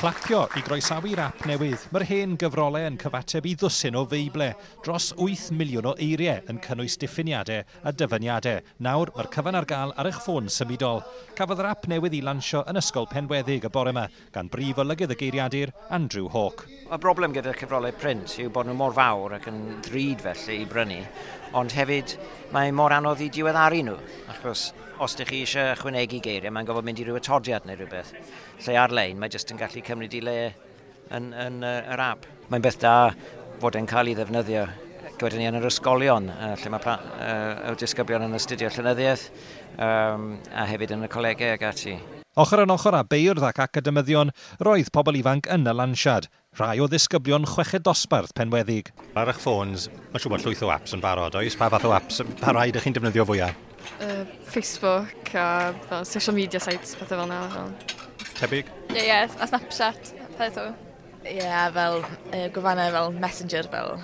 Clapio i groesawu'r ap newydd. Mae'r hen gyfrolau yn cyfateb i ddwsin o Feible, dros 8 miliwn o eiriau yn cynnwys diffiniadau a dyfyniadau. Nawr, mae'r cyfan ar gael ar eich ffôn symudol. Cafodd yr ap newydd ei lansio yn Ysgol Penweddig y bore yma gan brif olygydd y geiriadur, Andrew Hawke. Y broblem gyda cyfrolau print yw bod nhw mor fawr ac yn ddrud felly i brynu, ond hefyd mae mor anodd i diweddaru nhw, achos os ydych chi eisiau ychwanegu geiriau, mae'n gorfod mynd i ryw atodiad neu rhywbeth. Lle ar-lein, mae jyst yn gallu cymryd i le yn yr app. Mae'n beth da fod e'n cael ei ddefnyddio gyda ni yn yr ysgolion, lle mae y disgyblion yn astudio llenyddiaeth, a hefyd yn y colegau ag ati. Ochr yn ochr â beirdd ac academyddion, roedd pobl ifanc yn y lansiad, rhai o ddisgyblion chweched dosbarth Penweddig. Ar eich ffôns, mae siŵr bod llwyth o apps yn barod, oes? Pa fath o apps, pa rai ydych chi'n defnyddio fwyaf? Facebook a fel, social media sites, pethau fel yna. Fel. Tebyg? Ie, yeah, a Snapchat, pethau. Ie, yeah, fel gwefannau fel Messenger, fel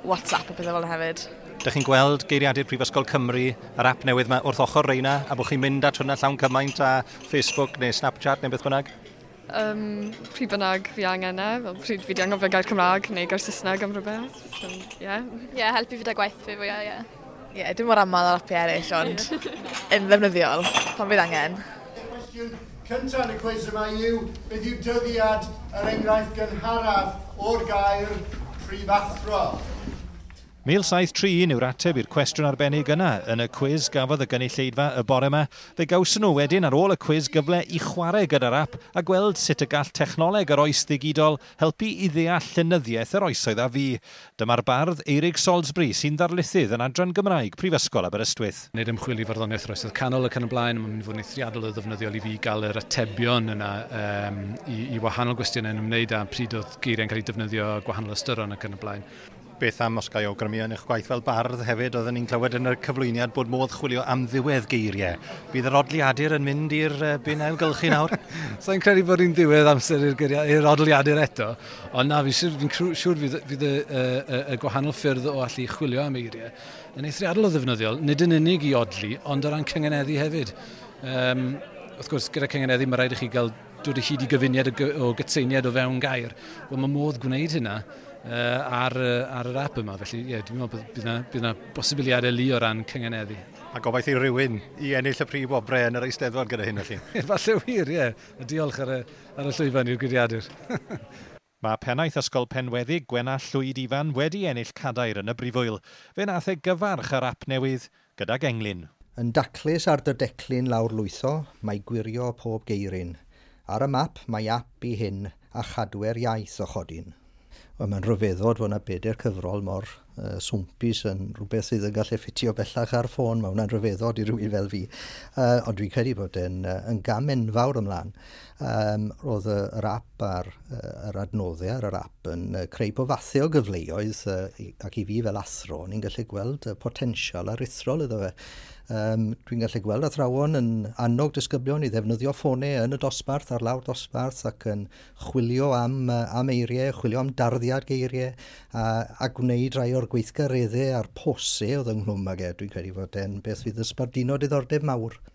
WhatsApp a pethau fel yna hefyd. Dych chi'n gweld geiriadur Prifysgol Cymru, yr app newydd yma, wrth ochr reina, a bod chi'n mynd at hwnna llawn cymaint a Facebook neu Snapchat neu beth bynnag? Pryd bynnag fi angen e, fel pryd fi di anghofio gair Cymraeg neu gair Saesneg am rhywbeth. Ie, yeah, helpu fi 'da gwaith fi fwyaf, ie. Yeah. Ie, yeah, dim mor aml ar apiau eraill, ond yn ddefnyddiol pan fydd angen. Cwestiwn cyntaf yn y cwis yma yw, beth yw dyddiad yr enghraifft gynharaf o'r gair prifathro? 1731 yw'r ateb i'r cwestiwn arbennig yna yn y cwis gafodd y gynulleidfa y bore yma. Fe gawson nhw wedyn ar ôl y cwis gyfle i chwarae gyda'r ap a gweld sut y gall technoleg yr oes ddigidol helpu i ddeall llenyddiaeth yr oesoedd a fu. Dyma'r bardd Eirig Salisbury, sy'n ddarlithydd yn adran Gymraeg Prifysgol Aberystwyth. Wneud ymchwil i farddoniaeth yr oesoedd canol ac yn y blaen, mae'n mynd i fod yn eithriadol o ddefnyddiol i fi gael yr atebion yna i wahanol gwestiynau yn ymwneud â pryd oedd geiriau'n cael eu defnyddio, gwahanol ystyron ac yn y blaen. Beth am, os ga i awgrymu, yn eich gwaith fel bardd hefyd, oedden ni'n clywed yn y cyflwyniad bod modd chwilio am ddiwedd geiriau. Bydd yr odliadur yn mynd i'r bin ailgylchu nawr? Sa'n credu bod hi'n diwedd amser i'r odliadur eto, ond na, fi'n siŵr fydd y gwahanol ffyrdd o allu chwilio am eiriau yn eithriadol o ddefnyddiol, nid yn unig i odli, ond o ran cyngeneddu hefyd. Wrth gwrs, gyda cyngeneddu mae rhaid i chi gael dod o hyd i gyfuniad o gytseiniad o fewn gair. Wel, mae modd gwneud hynna ar yr app yma. Felly, ie, yeah, dwi'n meddwl bydd yna bosibiliadau lu o ran cyngeneddu. A gobaith i rywun i ennill y prif wobrau yn yr Eisteddfod gyda hyn, felly. Falle wir, ie. A diolch ar y llwyfan i'r geiriadur. Mae pennaeth Ysgol Penweddig, Gwenallt Llwyd Ifan, wedi ennill cadair yn y brifwyl. Fe nath e gyfarch yr ap newydd gydag englyn. Yn daclus ar dy declyn lawr lwytho, mae gwirio pob geiryn. Ar y map mae ap i hyn a chadwer iaith o chodyn. Wel, mae'n rhyfeddod fod yna bedair cyfrol mor swmpus yn rhywbeth sydd yn gallu ffitio bellach ar ffôn. Mae hwnna'n rhyfeddod i rhywun fel fi. Ond dwi'n credu bod e'n yn gam enfawr ymlaen. Roedd yr app a'r yr adnoddau ar yr app yn creu pob fathau o gyfleoedd ac i fi fel athro, ni'n gallu gweld y potensial aruthrol iddo fe. Dwi'n gallu gweld athrawon yn annog disgyblion i ddefnyddio ffonau yn y dosbarth, ar lawr dosbarth, ac yn chwilio am eiriau, chwilio am darddiad geiriau, a gwneud rhai o'r gweithgareddau a'r posau oedd ynghlwm ag e. Dwi'n credu fod e'n beth fydd yn sbarduno diddordeb mawr.